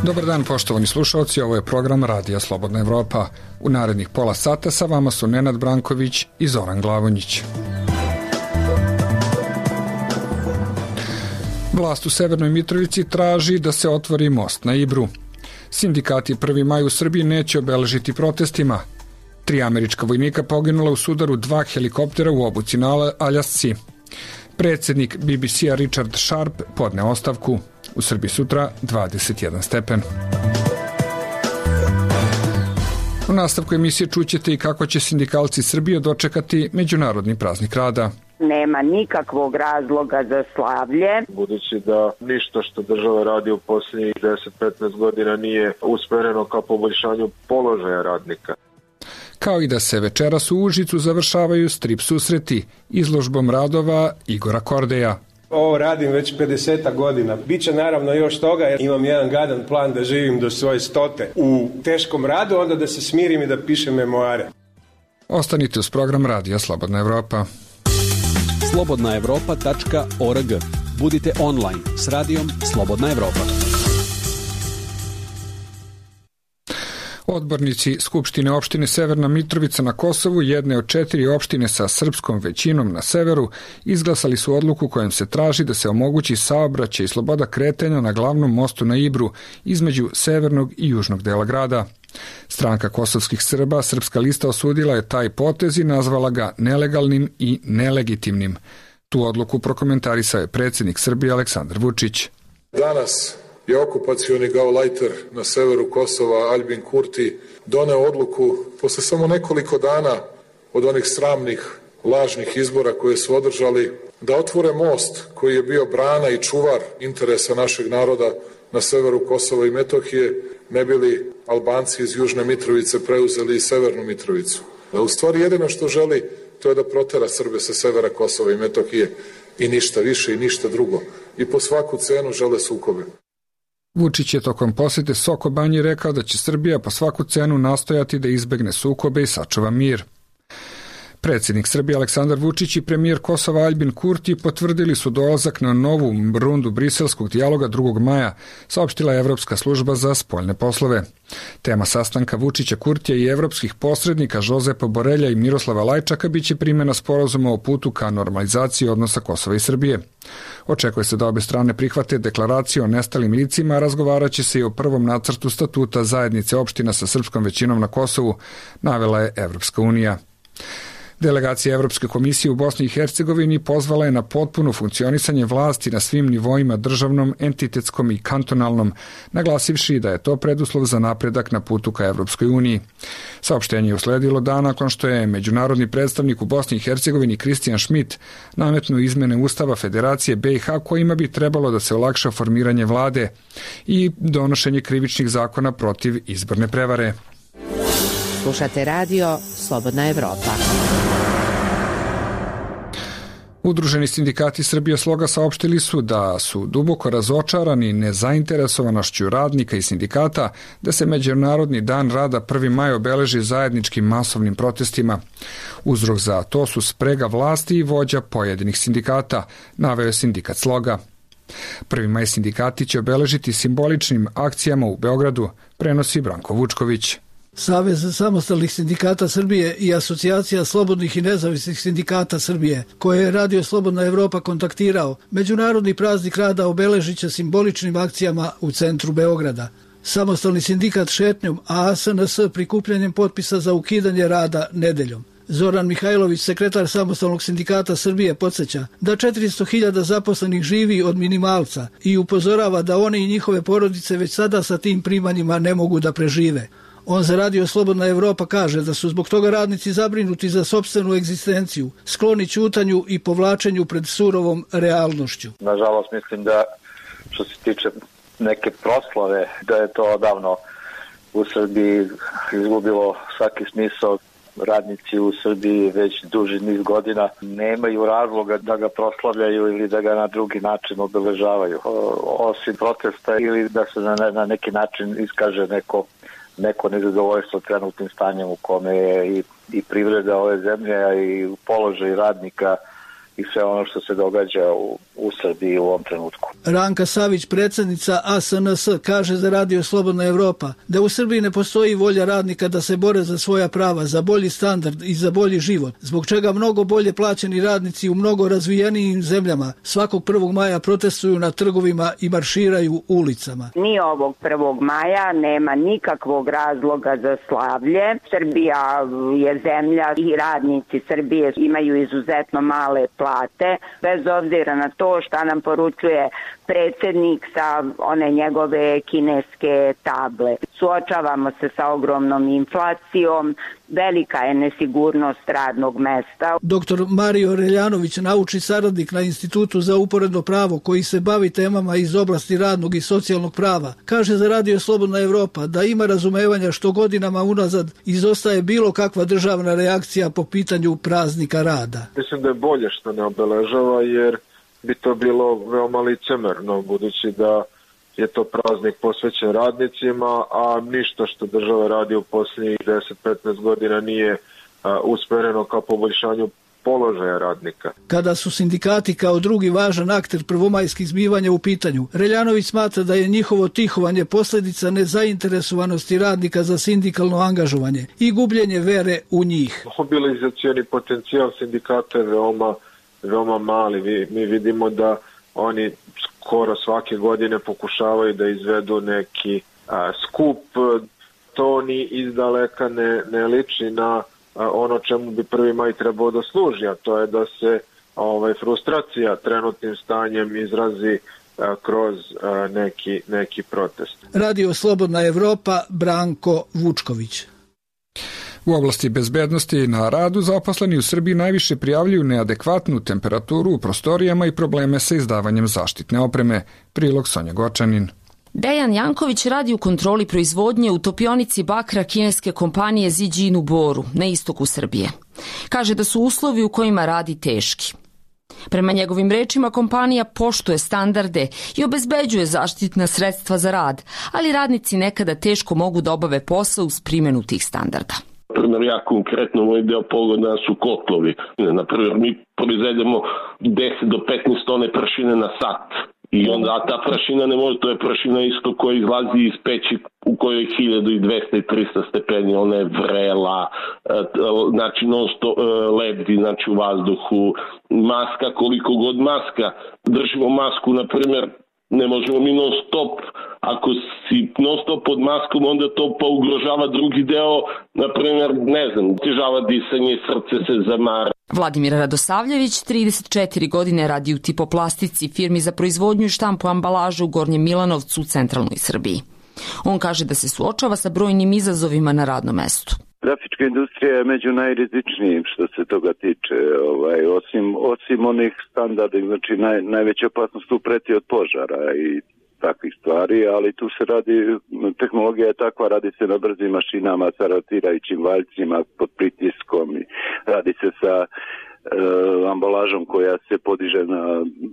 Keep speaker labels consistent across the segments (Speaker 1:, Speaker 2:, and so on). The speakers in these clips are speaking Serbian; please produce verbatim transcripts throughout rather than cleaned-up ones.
Speaker 1: Dobar dan, poštovani slušalci, ovo je program Radija Slobodna Evropa. U narednih pola sata sa vama su Nenad Branković i Zoran Glavonjić. Vlast u Severnoj Mitrovici traži da se otvori most na Ibru. Sindikati prvi maj u Srbiji neće obeležiti protestima. Tri američka vojnika poginula u sudaru dva helikoptera u obuci na Aljasci. Predsjednik B B C-a Richard Sharp podne ostavku. U Srbiji sutra dvadeset jedan stepen. U nastavku emisije čućete i kako će sindikalci Srbije dočekati Međunarodni praznik rada.
Speaker 2: Nema nikakvog razloga za slavlje.
Speaker 3: Budući da ništa što država radi u posljednjih deset do petnaest godina nije usmereno ka poboljšanju položaja radnika.
Speaker 1: Kao i da se večeras u Užicu završavaju strip susreti izložbom radova Igora Kordeja.
Speaker 4: Ovo radim već pedeset godina. Biće naravno još toga jer imam jedan gadan plan da živim do svoje stote. U teškom radu onda da se smirim i da pišem memoare.
Speaker 1: Ostanite uz program Radija Slobodna Evropa.
Speaker 5: slobodna evropa tačka org. Budite online s radijom Slobodna Evropa.
Speaker 1: Odbornici Skupštine opštine Severna Mitrovica na Kosovu, jedne od četiri opštine sa srpskom većinom na severu, izglasali su odluku kojom se traži da se omogući saobraćaj i sloboda kretanja na glavnom mostu na Ibru između severnog i južnog dela grada. Stranka kosovskih Srba, Srpska lista, osudila je taj potez i nazvala ga nelegalnim i nelegitimnim. Tu odluku prokomentarisao je predsjednik Srbije Aleksandar Vučić.
Speaker 6: Danas je okupacioni gaulajter na severu Kosova Aljbin Kurti doneo odluku posle samo nekoliko dana od onih sramnih, lažnih izbora koje su održali da otvore most koji je bio brana i čuvar interesa našeg naroda na severu Kosova i Metohije, ne bili Albanci iz Južne Mitrovice preuzeli i Severnu Mitrovicu. Da u stvari jedino što želi to je da protera Srbe sa severa Kosova i Metohije i ništa više i ništa drugo. I po svaku cenu žele sukobe.
Speaker 1: Vučić je tokom posete Soko Banji rekao da će Srbija po svaku cenu nastojati da izbegne sukobe i sačuva mir. Predsjednik Srbije Aleksandar Vučić i premijer Kosova Aljbin Kurti potvrdili su dolazak na novu rundu briselskog dijaloga drugog maja, saopštila je Evropska služba za spoljne poslove. Tema sastanka Vučića, Kurtija i evropskih posrednika Žozepa Borelja i Miroslava Lajčaka biće primjena sporazuma o putu ka normalizaciji odnosa Kosova i Srbije. Očekuje se da obe strane prihvate deklaraciju o nestalim licima, a razgovaraće se i o prvom nacrtu statuta zajednice opština sa srpskom većinom na Kosovu, navela je Evropska unija. Delegacija Evropske komisije u Bosni i Hercegovini pozvala je na potpuno funkcionisanje vlasti na svim nivoima državnom, entitetskom i kantonalnom, naglasivši da je to preduslov za napredak na putu ka Evropskoj uniji. Saopštenje je usledilo dan nakon što je međunarodni predstavnik u Bosni i Hercegovini Kristijan Šmit nametnuo izmene Ustava Federacije B i H kojima bi trebalo da se olakša formiranje vlade i donošenje krivičnih zakona protiv izborne prevare.
Speaker 7: Slušate radio Slobodna Evropa.
Speaker 1: Udruženi sindikati Srbije Sloga saopštili su da su duboko razočarani nezainteresovanošću radnika i sindikata da se Međunarodni dan rada prvi maj obeleži zajedničkim masovnim protestima. Uzrok za to su sprega vlasti i vođa pojedinih sindikata, naveo je sindikat Sloga. prvi maj sindikati će obeležiti simboličnim akcijama u Beogradu, prenosi Branko Vučković.
Speaker 8: Savez samostalnih sindikata Srbije i Asocijacija slobodnih i nezavisnih sindikata Srbije, koje je Radio Slobodna Evropa kontaktirao, Međunarodni praznik rada obeležit će simboličnim akcijama u centru Beograda. Samostalni sindikat šetnjom, a A S N S prikupljanjem potpisa za ukidanje rada nedeljom. Zoran Mihajlović, sekretar Samostalnog sindikata Srbije, podsjeća da četiristo hiljada zaposlenih živi od minimalca i upozorava da oni i njihove porodice već sada sa tim primanjima ne mogu da prežive. On za Radio Slobodna Evropa kaže da su zbog toga radnici zabrinuti za sopstvenu egzistenciju, skloni ćutanju i povlačenju pred surovom realnošću.
Speaker 9: Nažalost, mislim da što se tiče neke proslave, da je to odavno u Srbiji izgubilo svaki smisao. Radnici u Srbiji već duži niz godina nemaju razloga da ga proslavljaju ili da ga na drugi način obeležavaju. Osim protesta ili da se na, na neki način iskaže neko neko nezadovoljstvo trenutnim stanjem u kome je i, i privreda ove zemlje i položaj radnika i sve ono što se događa u, u Srbiji u ovom trenutku.
Speaker 8: Ranka Savić, predsjednica A S N S, kaže za Radio Slobodna Evropa da u Srbiji ne postoji volja radnika da se bore za svoja prava, za bolji standard i za bolji život, zbog čega mnogo bolje plaćeni radnici u mnogo razvijenijim zemljama svakog prvog maja protestuju na trgovima i marširaju ulicama.
Speaker 2: Ni ovog prvog maja nema nikakvog razloga za slavlje. Srbija je zemlja i radnici Srbije imaju izuzetno male plate, bez obzira na to šta nam poručuje predsjednik sa one njegove kineske table. Suočavamo se sa ogromnom inflacijom, velika je nesigurnost radnog mesta.
Speaker 8: Doktor Mario Reljanović, naučni saradnik na Institutu za uporedno pravo koji se bavi temama iz oblasti radnog i socijalnog prava, kaže za Radio Slobodna Evropa da ima razumevanja što godinama unazad izostaje bilo kakva državna reakcija po pitanju praznika rada.
Speaker 3: Mislim da je bolje što ne obeležava, jer bi to bilo veoma licemerno, budući da je to praznik posvećen radnicima, a ništa što država radi u posljednjih deset do petnaest godina nije a, usmereno ka poboljšanju položaja radnika.
Speaker 8: Kada su sindikati kao drugi važan akter prvomajskih zbivanja u pitanju, Reljanović smatra da je njihovo tihovanje posljedica nezainteresovanosti radnika za sindikalno angažovanje i gubljenje vere u njih.
Speaker 3: Mobilizacioni potencijal sindikata je veoma, veoma mali. Vi, mi vidimo da oni skoro svake godine pokušavaju da izvedu neki a, skup. To ni izdaleka ne, ne liči na a, ono čemu bi prvi maj trebao da služi, a to je da se ovaj, frustracija trenutnim stanjem izrazi a, kroz a, neki, neki protest.
Speaker 8: Radio Slobodna Evropa, Branko Vučković.
Speaker 1: U oblasti bezbednosti na radu zaposleni u Srbiji najviše prijavljuju neadekvatnu temperaturu u prostorijama i probleme sa izdavanjem zaštitne opreme. Prilog Sonja Gočanin.
Speaker 10: Dejan Janković radi u kontroli proizvodnje u topionici bakra kineske kompanije Zijin u Boru, na istoku Srbije. Kaže da su uslovi u kojima radi teški. Prema njegovim rečima, kompanija poštuje standarde i obezbeđuje zaštitna sredstva za rad, ali radnici nekada teško mogu da obave posao uz primjenu tih standarda.
Speaker 11: Primjer, ja konkretno moj deo pogona su kotlovi. Naprimjer, mi proizvedemo deset do petnaest tone prašine na sat. I onda ta prašina ne može, to je prašina isto koja izlazi iz peći u kojoj je hiljadu dvesta i trista stepeni, ona je vrela, znači non sto lebdi, znači u vazduhu, maska, koliko god maska, držimo masku, na primjer, ne možemo mi non stop, ako si non stop pod maskom, onda to pa ugrožava drugi deo, na primjer, ne znam, težava disanje, srce se zamara.
Speaker 10: Vladimir Radosavljević, trideset četiri godine, radi u Tipoplastici, firmi za proizvodnju i štampu ambalažu u Gornjem Milanovcu u centralnoj Srbiji. On kaže da se suočava sa brojnim izazovima na radnom mestu.
Speaker 12: Grafička industrija je među najrizičnijim što se toga tiče, ovaj, osim, osim onih standarda, znači naj, najveća opasnost tu preti od požara i takvih stvari, ali tu se radi, tehnologija je takva, radi se na brzim mašinama sa rotirajućim valjcima pod pritiskom i radi se sa e, ambalažom koja se podiže na,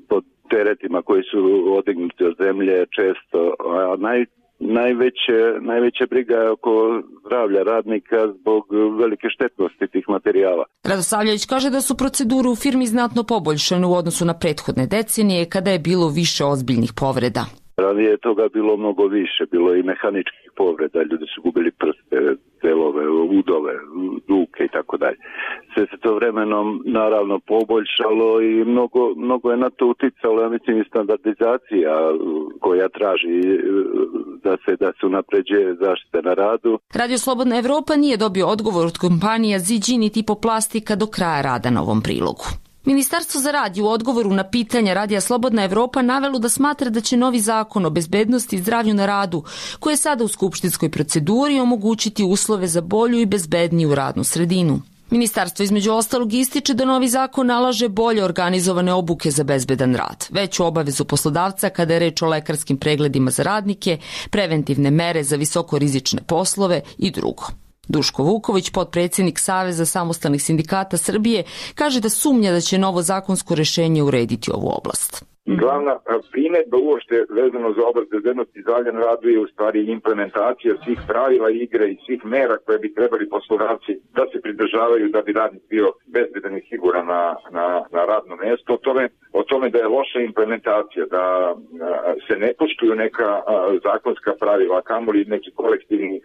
Speaker 12: pod teretima koji su odignuti od zemlje često, a naj Najveće, najveća briga je oko zdravlja radnika zbog velike štetnosti tih materijala.
Speaker 10: Radosavljević kaže da su procedure u firmi znatno poboljšane u odnosu na prethodne decenije kada je bilo više ozbiljnih povreda.
Speaker 12: Ranije je toga bilo mnogo više, bilo i mehaničkih povreda, ljudi su gubili prste, delove, udove, ruke i tako dalje. Sve se to vremenom naravno poboljšalo i mnogo, mnogo je na to uticalo, ja mislim, i standardizacija koja traži da se, da se unapređuje zaštita na radu.
Speaker 10: Radio Slobodna Evropa nije dobio odgovor od kompanija Zijin i Tipoplastika do kraja rada na ovom prilogu. Ministarstvo za rad je u odgovoru na pitanja Radija Slobodna Evropa navelo da smatra da će novi zakon o bezbednosti i zdravlju na radu, koji je sada u skupštinskoj proceduri, omogućiti uslove za bolju i bezbedniju radnu sredinu. Ministarstvo između ostalog ističe da novi zakon nalaže bolje organizovane obuke za bezbedan rad, veću obavezu poslodavca kada je reč o lekarskim pregledima za radnike, preventivne mere za visokorizične poslove i drugo. Duško Vuković, potpredsjednik Saveza samostalnih sindikata Srbije, kaže da sumnja da će novo zakonsko rešenje urediti ovu oblast.
Speaker 13: Glavna primedba uopšte vezano za oblast bezbednosti zdravlja na radu je u stvari implementacija svih pravila igre i svih mera koje bi trebali poslodavci da se pridržavaju da bi radnik bio bezbedan i siguran na, na, na radno mesto. O tome, o tome da je loša implementacija, da se ne poštuju neka zakonska pravila, kamoli neki kolektivni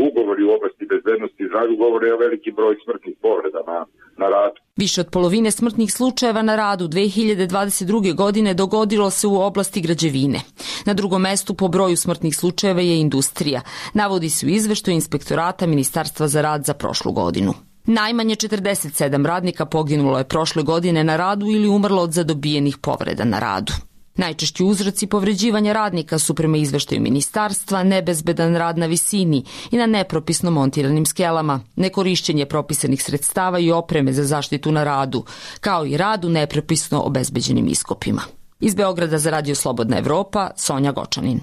Speaker 13: ugovori u oblasti bezbednosti i zdravlja, govore o veliki broj smrtnih povreda na, na radu.
Speaker 10: Više od polovine smrtnih slučajeva na radu dve hiljade dvadeset druge. godine dogodilo se u oblasti građevine. Na drugom mestu po broju smrtnih slučajeva je industrija. Navodi se u izveštaju Inspektorata Ministarstva za rad za prošlu godinu. Najmanje četrdeset sedam radnika poginulo je prošle godine na radu ili umrlo od zadobijenih povreda na radu. Najčešći uzroci povređivanja radnika su prema izveštaju ministarstva nebezbedan rad na visini i na nepropisno montiranim skelama, nekorišćenje propisanih sredstava i opreme za zaštitu na radu, kao i rad u nepropisno obezbeđenim iskopima. Iz Beograda za Radio Slobodna Evropa, Sonja Gočanin.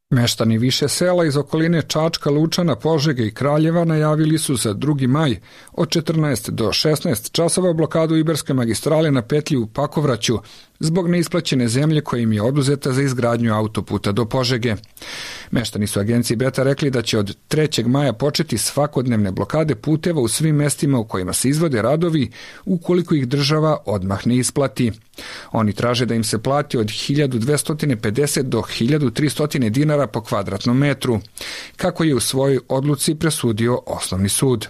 Speaker 1: Meštani više sela iz okoline Čačka, Lučana, Požege i Kraljeva najavili su za drugi maj od četrnaest do šesnaest časova blokadu Ibarske magistrale na petlji u Pakovraću zbog neisplaćene zemlje koja im je oduzeta za izgradnju autoputa do Požege. Meštani su agenciji Beta rekli da će od trećeg maja početi svakodnevne blokade puteva u svim mestima u kojima se izvode radovi ukoliko ih država odmah ne isplati. Oni traže da im se plati od hiljadu dvesta pedeset do hiljadu trista dinara po kvadratnom metru, kako je u svojoj odluci presudio Osnovni sud.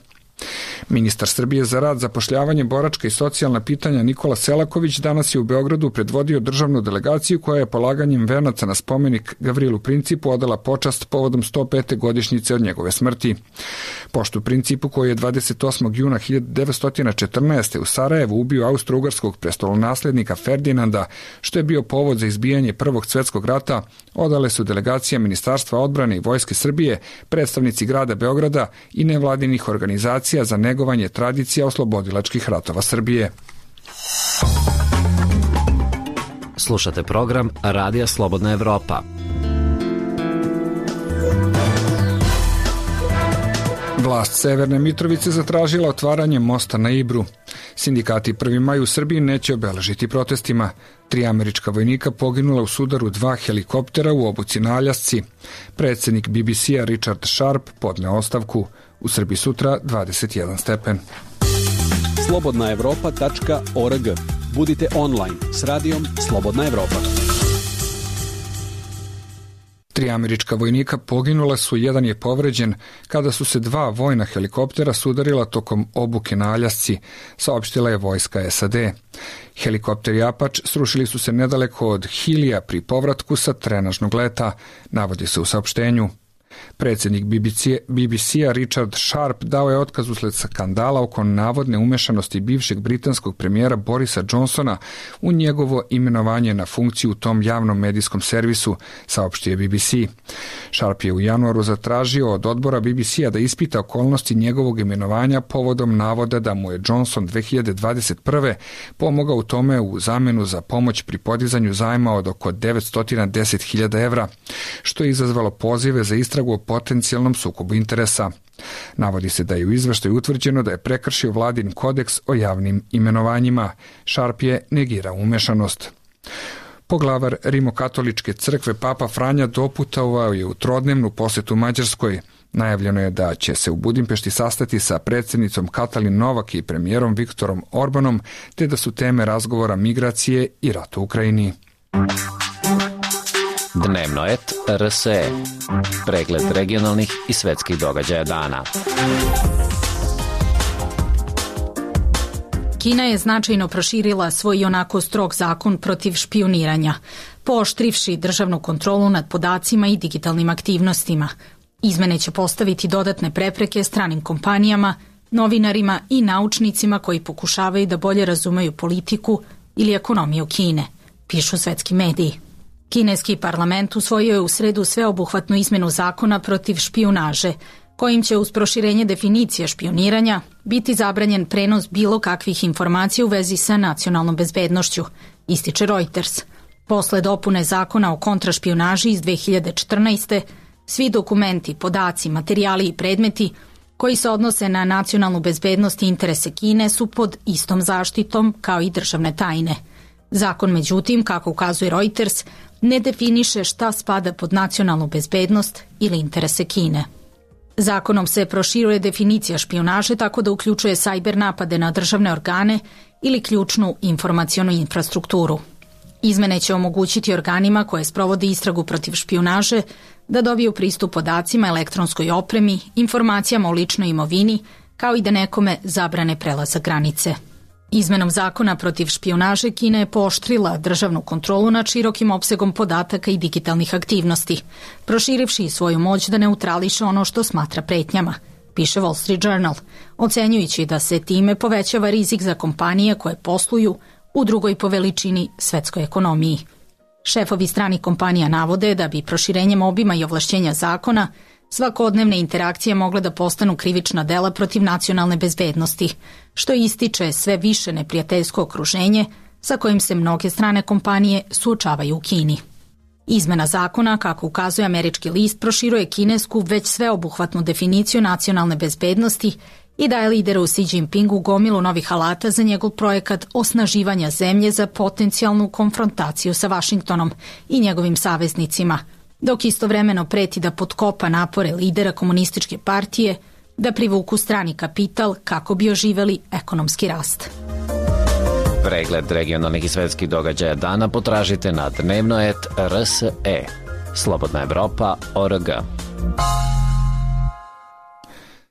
Speaker 1: Ministar Srbije za rad, zapošljavanje, boračka i socijalna pitanja Nikola Selaković danas je u Beogradu predvodio državnu delegaciju koja je polaganjem venaca na spomenik Gavrilu Principu odala počast povodom sto pete godišnjice od njegove smrti. Poštu Principu, koji je dvadeset osmog juna hiljadu devetsto četrnaeste. u Sarajevu ubio austro-ugarskog prestolonaslednika Ferdinanda, što je bio povod za izbijanje Prvog svjetskog rata, odale su delegacija Ministarstva odbrane i Vojske Srbije, predstavnici grada Beograda i nevladinih organizacija za negovanje tradicija oslobodilačkih ratova Srbije.
Speaker 14: Slušate program Radija Slobodna Evropa.
Speaker 1: Vlast Severne Mitrovice zatražila otvaranje mosta na Ibru. Sindikati prvi maj u Srbiji neće obeležiti protestima. Tri američka vojnika poginula u sudaru dva helikoptera u obuci na Aljasci. Predsjednik B B C-a Richard Sharp podneo ostavku. U Srbiji sutra dvadeset jedan stepen.
Speaker 5: slobodna evropa tačka org. Budite online s radijom Slobodna Evropa.
Speaker 1: Tri američka vojnika poginula su, jedan je povređen kada su se dva vojna helikoptera sudarila tokom obuke na Aljasci, saopštila je vojska S A D. Helikopteri Apache srušili su se nedaleko od Hilija pri povratku sa trenažnog leta, navodi se u saopštenju. Predsjednik B B C-a Richard Sharp dao je otkaz usled skandala oko navodne umešanosti bivšeg britanskog premijera Borisa Johnsona u njegovo imenovanje na funkciju u tom javnom medijskom servisu, saopštio je B B C. Sharp je u januaru zatražio od odbora B B C-a da ispita okolnosti njegovog imenovanja povodom navoda da mu je Johnson dve hiljade dvadeset prve. pomogao u tome u zamenu za pomoć pri podizanju zajma od oko devetsto deset hiljada evra, što je izazvalo pozive za istragu o potencijalnom sukobu interesa. Navodi se da je u izveštaju utvrđeno da je prekršio vladin kodeks o javnim imenovanjima. Sharp je negirao umešanost. Poglavar Rimokatoličke crkve Papa Franja doputovao je u trodnevnu posetu Mađarskoj. Najavljeno je da će se u Budimpešti sastati sa predsjednicom Katalin Novak i premijerom Viktorom Orbanom, te da su teme razgovora migracije i rat u Ukrajini.
Speaker 14: Dnevno et R S E. Pregled regionalnih i svetskih događaja dana.
Speaker 15: Kina je značajno proširila svoj onako strog zakon protiv špioniranja, pooštrivši državnu kontrolu nad podacima i digitalnim aktivnostima. Izmene će postaviti dodatne prepreke stranim kompanijama, novinarima i naučnicima koji pokušavaju da bolje razumeju politiku ili ekonomiju Kine, pišu svetski mediji. Kineski parlament usvojio je u sredu sveobuhvatnu izmenu zakona protiv špijunaže, kojim će uz proširenje definicije špioniranja biti zabranjen prenos bilo kakvih informacija u vezi sa nacionalnom bezbednošću, ističe Reuters. Posle dopune zakona o kontrašpijunaži iz dve hiljade četrnaeste. svi dokumenti, podaci, materijali i predmeti koji se odnose na nacionalnu bezbednost i interese Kine su pod istom zaštitom kao i državne tajne. Zakon, međutim, kako ukazuje Reuters, ne definiše šta spada pod nacionalnu bezbednost ili interese Kine. Zakonom se proširuje definicija špijunaže tako da uključuje sajber napade na državne organe ili ključnu informacionu infrastrukturu. Izmene će omogućiti organima koje sprovode istragu protiv špijunaže da dobiju pristup podacima, elektronskoj opremi, informacijama o ličnoj imovini, kao i da nekome zabrane prelazak granice. Izmenom zakona protiv špijunaže Kina je pooštrila državnu kontrolu nad širokim opsegom podataka i digitalnih aktivnosti, proširivši svoju moć da neutrališe ono što smatra pretnjama, piše Wall Street Journal, ocenjujući da se time povećava rizik za kompanije koje posluju u drugoj po veličini svetskoj ekonomiji. Šefovi stranih kompanija navode da bi proširenjem obima i ovlašćenja zakona svakodnevne interakcije mogle da postanu krivična dela protiv nacionalne bezbednosti, što ističe sve više neprijateljsko okruženje sa kojim se mnoge strane kompanije suočavaju u Kini. Izmena zakona, kako ukazuje američki list, proširuje kinesku već sveobuhvatnu definiciju nacionalne bezbednosti i daje lideru Xi Jinpingu gomilu novih alata za njegov projekat osnaživanja zemlje za potencijalnu konfrontaciju sa Vašingtonom i njegovim saveznicima, dok istovremeno preti da potkopa napore lidera komunističke partije da privuku strani kapital kako bi oživeli ekonomski rast.
Speaker 14: Pregled regionalnih i svetskih događaja dana potražite na dnevno et er es e. Slobodna Evropa точка орг.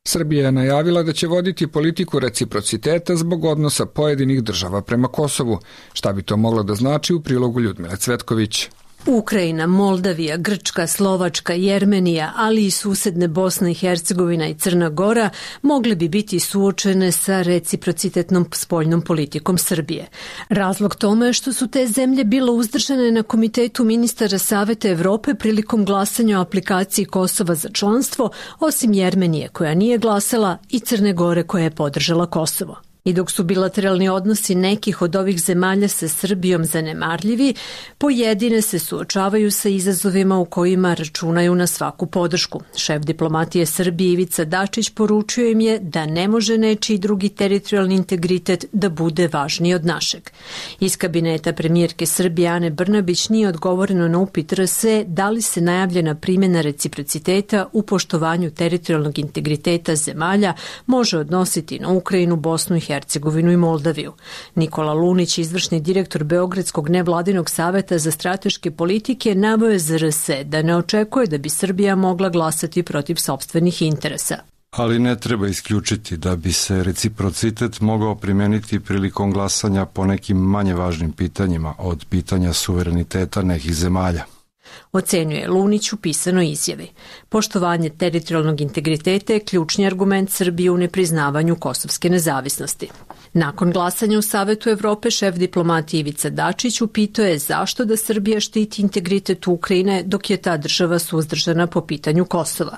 Speaker 1: Srbija je najavila da će voditi politiku reciprociteta zbog odnosa pojedinih država prema Kosovu. Šta bi to moglo da znači u prilogu Ljudmile Cvetković?
Speaker 16: Ukrajina, Moldavija, Grčka, Slovačka, Jermenija, ali i susedne Bosna i Hercegovina i Crna Gora mogle bi biti suočene sa reciprocitetnom spoljnom politikom Srbije. Razlog tome je što su te zemlje bilo uzdržane na Komitetu ministara Saveta Evrope prilikom glasanja o aplikaciji Kosova za članstvo, osim Jermenije koja nije glasala i Crne Gore koja je podržala Kosovo. I dok su bilateralni odnosi nekih od ovih zemalja sa Srbijom zanemarljivi, pojedine se suočavaju sa izazovima u kojima računaju na svaku podršku. Šef diplomatije Srbije Ivica Dačić poručio im je da ne može nečiji drugi teritorijalni integritet da bude važniji od našeg. Iz kabineta premijerke Srbije Ane Brnabić nije odgovoreno na upit er es e da li se najavljena primjena reciprociteta u poštovanju teritorijalnog integriteta zemalja može odnositi na Ukrajinu, Bosnu i Hercegovinu i Moldaviju. Nikola Lunić, izvršni direktor Beogradskog nevladinog saveta za strateške politike, naveo je za er es e da ne očekuje da bi Srbija mogla glasati protiv sopstvenih interesa.
Speaker 17: Ali ne treba isključiti da bi se reciprocitet mogao primeniti prilikom glasanja po nekim manje važnim pitanjima od pitanja suvereniteta nekih zemalja.
Speaker 16: Ocenjuje Lunić u pisanoj izjavi. Poštovanje teritorijalnog integriteta je ključni argument Srbije u nepriznavanju kosovske nezavisnosti. Nakon glasanja u Savetu Evrope, šef diplomatije Ivica Dačić upitao je zašto da Srbija štiti integritet Ukrajine dok je ta država suzdržana po pitanju Kosova.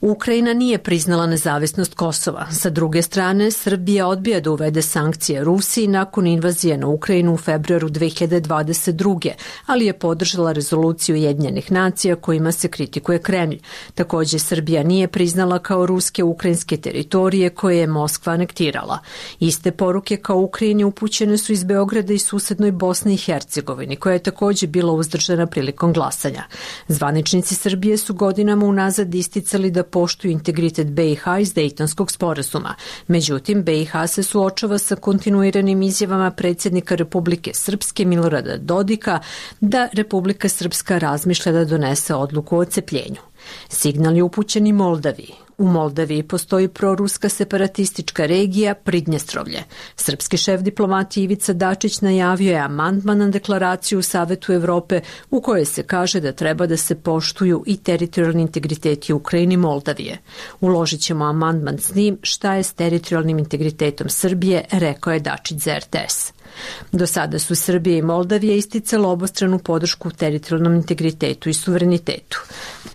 Speaker 16: Ukrajina nije priznala nezavisnost Kosova. Sa druge strane, Srbija odbija da uvede sankcije Rusiji nakon invazije na Ukrajinu u februaru dve hiljade dvadeset druge. ali je podržala rezoluciju Ujedinjenih nacija kojima se kritikuje Kremlj. Takođe, Srbija nije priznala kao ruske ukrajinske teritorije koje je Moskva anektirala. Iste poruke kao Ukrajini upućene su iz Beograda i susednoj Bosni i Hercegovini, koja je takođe bila uzdržana prilikom glasanja. Zvaničnici Srbije su godinama unazad isticali da poštuju integritet be i ha iz Dejtonskog sporazuma. Međutim, be i ha se suočava sa kontinuiranim izjavama predsjednika Republike Srpske Milorada Dodika da Republika Srpska razmišlja da donese odluku o odcepljenju. Signal je upućen i Moldaviji. U Moldaviji postoji proruska separatistička regija Pridnjestrovlje. Srpski šef diplomatije Ivica Dačić najavio je amandman na deklaraciju u Savetu Evrope u kojoj se kaže da treba da se poštuju i teritorijalni integriteti Ukrajine i Moldavije. Uložit ćemo amandman s njim šta je s teritorijalnim integritetom Srbije, rekao je Dačić za er te es. Do sada su Srbija i Moldavija isticalo obostranu podršku teritorijalnom integritetu i suverenitetu.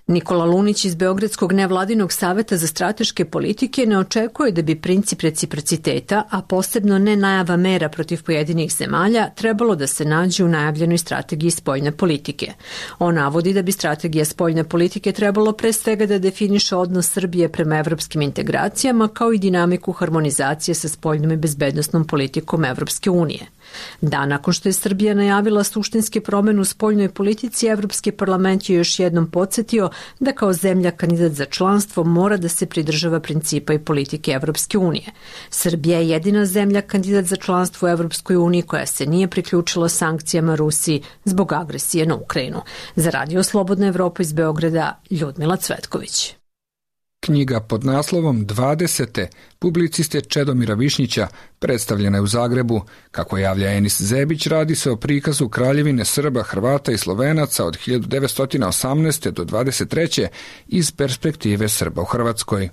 Speaker 16: Nikola Lunić iz Beogradskog nevladinog saveta za strateške politike ne očekuje da bi princip reciprociteta, a posebno ne najava mera protiv pojedinih zemalja, trebalo da se nađe u najavljenoj strategiji spoljne politike. On navodi da bi strategija spoljne politike trebalo pre svega da definiše odnos Srbije prema evropskim integracijama kao i dinamiku harmonizacije sa spoljnom i bezbednostnom politikom Evropske unije. unije. Dan nakon što je Srbija najavila suštinske promene u spoljnoj politici, Evropski parlament je još jednom podsjetio da kao zemlja kandidat za članstvo mora da se pridržava principa i politike Evropske unije. Srbija je jedina zemlja kandidat za članstvo u Evropskoj uniji koja se nije priključila sankcijama Rusiji zbog agresije na Ukrajinu. Za Radio Slobodna Evropa iz Beograda, Ljudmila Cvetković.
Speaker 1: Knjiga pod naslovom dvadesete publiciste Čedomira Višnjića predstavljena je u Zagrebu. Kako javlja Enis Zebić, radi se o prikazu kraljevine Srba, Hrvata i Slovenaca od hiljadu devetsto osamnaeste. do dvadeset treće iz perspektive Srba u Hrvatskoj.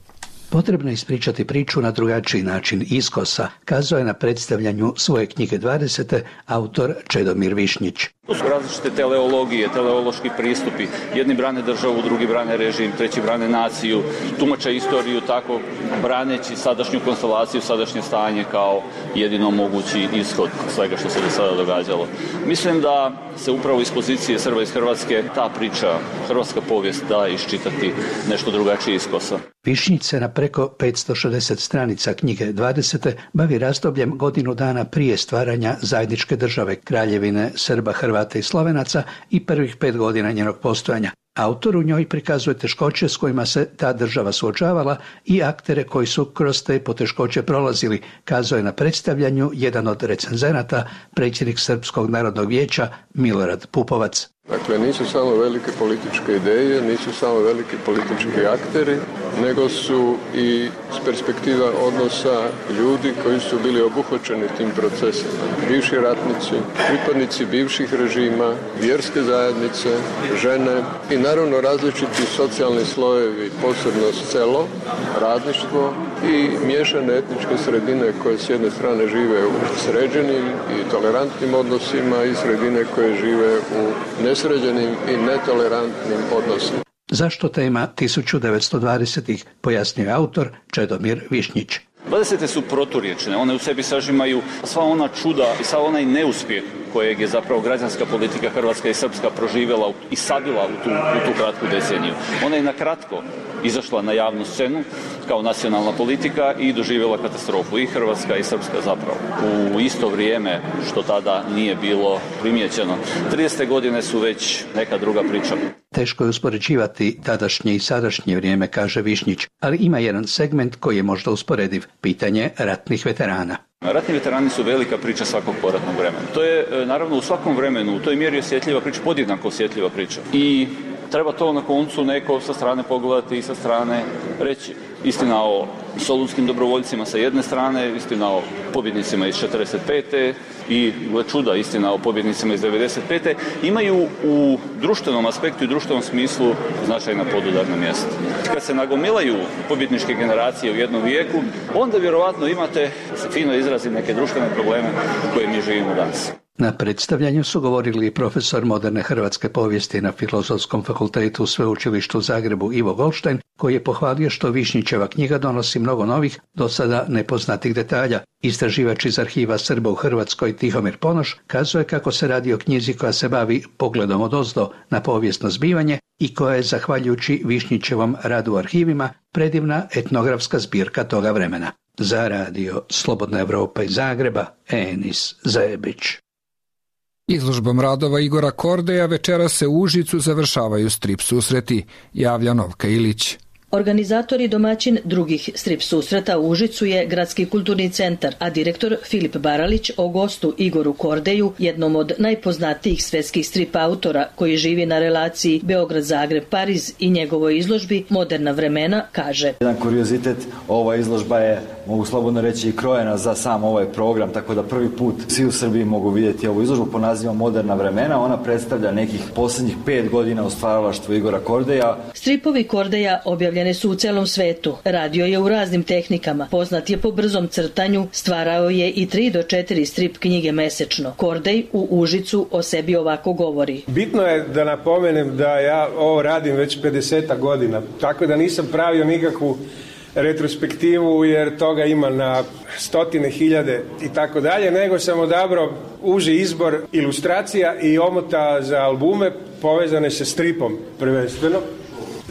Speaker 18: Potrebno je ispričati priču na drugačiji način iskosa, kazao je na predstavljanju svoje knjige dvadesete autor Čedomir Višnjić.
Speaker 19: To su različite teleologije, teleološki pristupi. Jedni brane državu, drugi brane režim, treći brane naciju, tumače istoriju tako braneći sadašnju konstelaciju, sadašnje stanje kao jedino mogući ishod svega što se do sada događalo. Mislim da se upravo iz pozicije Srba iz Hrvatske ta priča, hrvatska povijest da iščitati nešto drugačije iskosa.
Speaker 18: Višnjić se na preko petsto šezdeset stranica knjige dvadesete bavi razdobljem godinu dana prije stvaranja zajedničke države Kraljevine Srba, Hrvata i Slovenaca i prvih pet godina njenog postojanja. Autor u njoj prikazuje teškoće s kojima se ta država suočavala i aktere koji su kroz te poteškoće prolazili, kazao je na predstavljanju jedan od recenzenata, predsjednik Srpskog narodnog vijeća Milorad Pupovac.
Speaker 20: Dakle, nisu samo velike političke ideje, nisu samo veliki politički akteri, nego su i s perspektiva odnosa ljudi koji su bili obuhvaćeni tim procesima. Bivši ratnici, pripadnici bivših režima, vjerske zajednice, žene i naravno različiti socijalni slojevi, posebno selo, radništvo i miješane etničke sredine koje s jedne strane žive u sređenim i tolerantnim odnosima i sredine koje žive u nesređenim i netolerantnim odnosima.
Speaker 18: Zašto tema tisuću devetsto dvadesetih, pojasnio je autor Čedomir Višnjić.
Speaker 19: dvadesete su proturječne, one u sebi sažimaju sva ona čuda i sav onaj neuspjeh kojeg je zapravo građanska politika Hrvatska i Srpska proživjela i sadila u tu, u tu kratku deceniju. Ona je na kratko izašla na javnu scenu kao nacionalna politika i doživjela katastrofu i Hrvatska i Srpska zapravo. U isto vrijeme što tada nije bilo primijećeno. tridesete godine su već neka druga priča.
Speaker 18: Teško je uspoređivati tadašnje i sadašnje vrijeme, kaže Višnjić, ali ima jedan segment koji je možda usporediv, pitanje ratnih veterana.
Speaker 19: Ratni veterani su velika priča svakog poratnog vremena. To je naravno u svakom vremenu, u toj mjeri osjetljiva priča, podjednako osjetljiva priča. I treba to na koncu neko sa strane pogledati i sa strane reći. Istina o solunskim dobrovoljcima sa jedne strane, istina o pobjednicima iz četrdeset pete i, gle čuda, istina o pobjednicima iz devedeset pete imaju u društvenom aspektu i društvenom smislu značajna podudarna mjesta. Kad se nagomilaju pobjedničke generacije u jednom vijeku, onda vjerovatno imate, da se fino izrazim, neke društvene probleme koje mi živimo danas.
Speaker 18: Na predstavljanju su govorili profesor moderne hrvatske povijesti na Filozofskom fakultetu Sveučilištu u Zagrebu Ivo Goldstein, koji je pohvalio što Višnjićeva knjiga donosi mnogo novih, do sada nepoznatih detalja. Istraživač iz arhiva Srba u Hrvatskoj Tihomir Ponoš kazuje kako se radi o knjizi koja se bavi pogledom odozdo na povijesno zbivanje i koja je, zahvaljujući Višnjićevom radu u arhivima, predivna etnografska zbirka toga vremena. Za Radio Slobodna Evropa iz Zagreba, Enis Zebić.
Speaker 1: Izložbom radova Igora Kordeja večera se u Užicu završavaju strip susreti, javlja Novka Ilić.
Speaker 21: Organizator i domaćin drugih strip susreta u Užicu je Gradski kulturni centar, a direktor Filip Baralić o gostu Igoru Kordeju, jednom od najpoznatijih svetskih strip autora koji živi na relaciji Beograd-Zagreb-Pariz i njegovoj izložbi Moderna vremena, kaže.
Speaker 22: Jedan kuriozitet, ova izložba je, mogu slobodno reći, i krojena za sam ovaj program, tako da prvi put svi u Srbiji mogu vidjeti ovu izložbu pod nazivom Moderna vremena. Ona predstavlja nekih posljednjih pet godina u stvaralaštvu Igora Kordeja.
Speaker 21: Stripovi Kordeja objavljeni su u celom svetu. Radio je u raznim tehnikama. Poznat je po brzom crtanju, stvarao je i tri do četiri strip knjige mesečno. Kordej u Užicu o sebi ovako govori.
Speaker 4: Bitno je da napomenem da ja ovo radim već pedeset godina, tako da nisam pravio nikakvu retrospektivu jer toga ima na stotine hiljade i tako dalje, nego sam odabrao uži izbor ilustracija i omota za albume povezane sa stripom prvenstveno.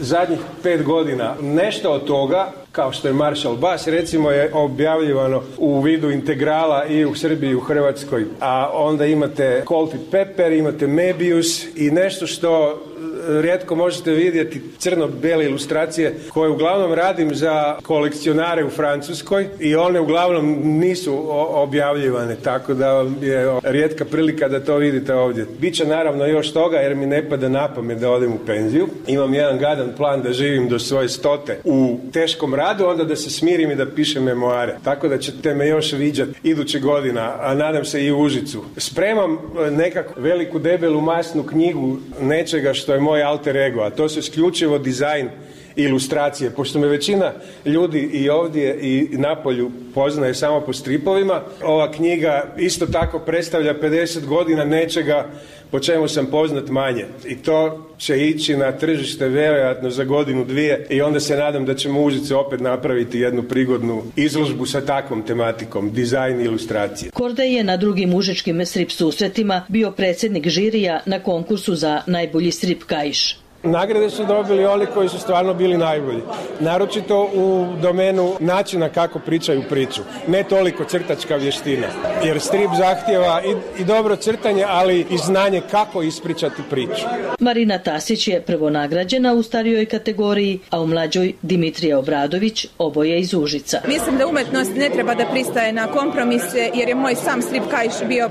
Speaker 4: zadnjih pet godina nešto od toga, kao što je Marshall Bass, recimo je objavljivano u vidu integrala i u Srbiji i u Hrvatskoj. A onda imate Salted Pepper, imate Mebius i nešto što rijetko možete vidjeti, crno-bele ilustracije koje uglavnom radim za kolekcionare u Francuskoj i one uglavnom nisu objavljivane, tako da je rijetka prilika da to vidite ovdje. Biće naravno još toga jer mi ne pada na pamet da odem u penziju. Imam jedan gadan plan da živim do svoje stote u teškom radu, onda da se smirim i da pišem memoare. Tako da ćete me još viđati iduće godina, a nadam se i u Užicu. Spremam nekako veliku debelu masnu knjigu nečega što je moj alter ego, a to su isključivo dizajn i ilustracije. Pošto me većina ljudi i ovdje i napolju poznaje samo po stripovima, ova knjiga isto tako predstavlja pedeset godina nečega po čemu sam poznat manje. I to će ići na tržište vjerojatno za godinu, dvije i onda se nadam da ćemo u Užicu opet napraviti jednu prigodnu izložbu sa takvom tematikom, dizajn i ilustracije.
Speaker 21: Kordej je na drugim užičkim strip susretima bio predsjednik žirija na konkursu za najbolji strip kaiš.
Speaker 4: Nagrade su dobili oni koji su stvarno bili najbolji. Naročito u domenu načina kako pričaju priču. Ne toliko crtačka vještina. Jer strip zahtjeva i, i dobro crtanje, ali i znanje kako ispričati priču.
Speaker 21: Marina Tasić je prvo nagrađena u starijoj kategoriji, a u mlađoj Dimitrija Obradović, oboje iz Užica.
Speaker 6: Mislim da umetnost ne treba da pristaje na kompromise, jer je moj sam strip kaiš bio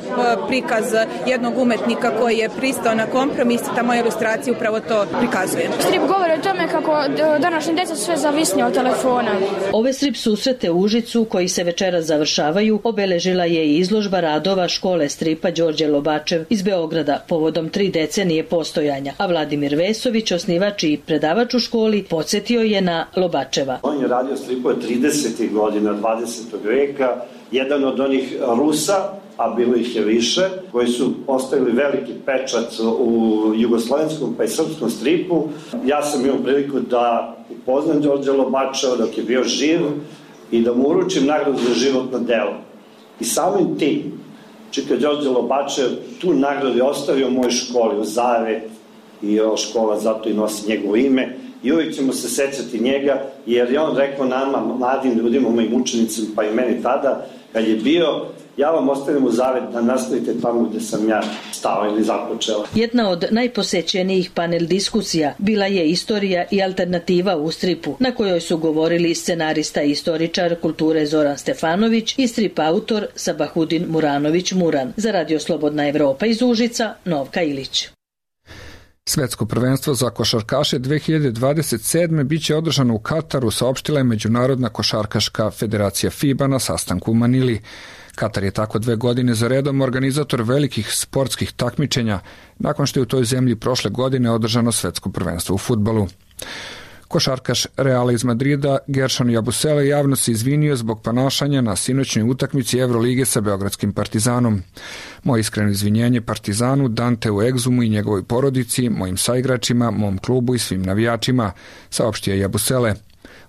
Speaker 6: prikaz jednog umetnika koji je pristao na kompromis, ta moja ilustracija upravo to prikazujem.
Speaker 7: Strip govori o tome kako današnji djeca sve zavisni od telefona.
Speaker 21: Ove strip susrete u Užicu, koji se večeras završavaju, obeležila je i izložba radova škole stripa Đorđe Lobačev iz Beograda povodom tri decenije postojanja, a Vladimir Vesović, osnivač i predavač u školi, podsjetio je na Lobačeva.
Speaker 23: On je radio stripove tridesetih godina dvadesetog veka, jedan od onih Rusa, a bilo ih je više, koji su ostavili veliki pečat u jugoslovenskom pa i srpskom stripu. Ja sam imao priliku da upoznam Đorđe Lobačeva dok je bio živ i da mu uručim nagradu za životno delo. I samim tim, čika Đorđe Lobačev tu nagradu je ostavio u mojoj školi, u Zavet, i ova škola zato i nosi njegovo ime. I uvijek ćemo se sećati njega, jer je on rekao nama, mladim ljudima, mojim učenicima, pa i meni tada, kad je bio, ja vam ostavim u zavet da nastavite tamo gde sam ja stao ili započela.
Speaker 21: Jedna od najposećenijih panel diskusija bila je istorija i alternativa u stripu, na kojoj su govorili scenarista i istoričar kulture Zoran Stefanović i strip autor Sabahudin Muranović Muran. Za Radio Slobodna Evropa iz Užica, Novka Ilić.
Speaker 1: Svetsko prvenstvo za košarkaše dve hiljade dvadeset sedme biće održano u Kataru, saopštila je Međunarodna košarkaška federacija FIBA na sastanku u Manili. Katar je tako dve godine za redom organizator velikih sportskih takmičenja, nakon što je u toj zemlji prošle godine održano svetsko prvenstvo u fudbalu. Košarkaš Reala iz Madrida, Gershon Jabusele, javno se izvinio zbog ponašanja na sinoćnoj utakmici Evrolige sa beogradskim Partizanom. Moje iskreno izvinjenje Partizanu, Danteu Egzumu i njegovoj porodici, mojim saigračima, mom klubu i svim navijačima, saopštio Jabusele.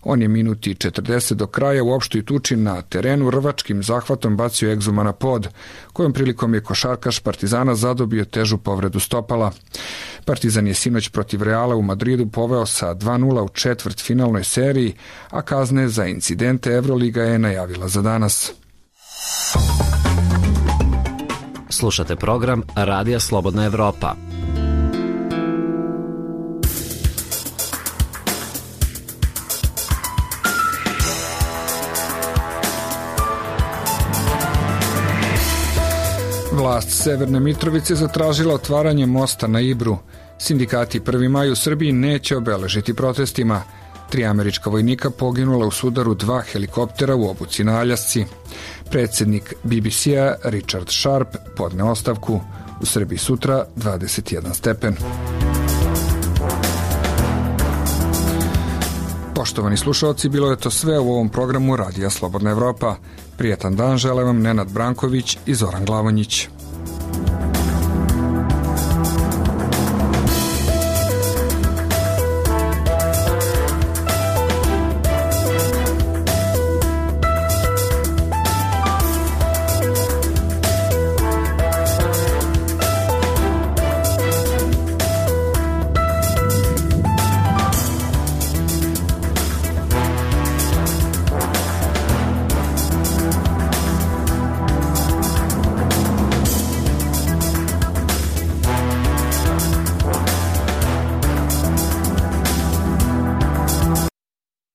Speaker 1: On je minuti četrdeset do kraja u opštoj tuči na terenu rvačkim zahvatom bacio Egzuma na pod, kojom prilikom je košarkaš Partizana zadobio težu povredu stopala. Partizan je sinoć protiv Reala u Madridu poveo sa dva nula u četvrtfinalnoj seriji, a kazne za incidente Evroliga je najavila za danas.
Speaker 14: Slušate program Radija Slobodna Evropa.
Speaker 1: Vlast Severne Mitrovice zatražila otvaranje mosta na Ibru. Sindikati prvi maj u Srbiji neće obeležiti protestima. Tri američka vojnika poginula u sudaru dva helikoptera u obuci na Aljasci. Predsjednik B B C-a Richard Sharp podne ostavku. U Srbiji sutra dvadeset jedan stepen. Poštovani slušalci, bilo je to sve u ovom programu Radija Slobodna Evropa. Prijetan dan žele vam Nenad Branković i Zoran Glavonjić.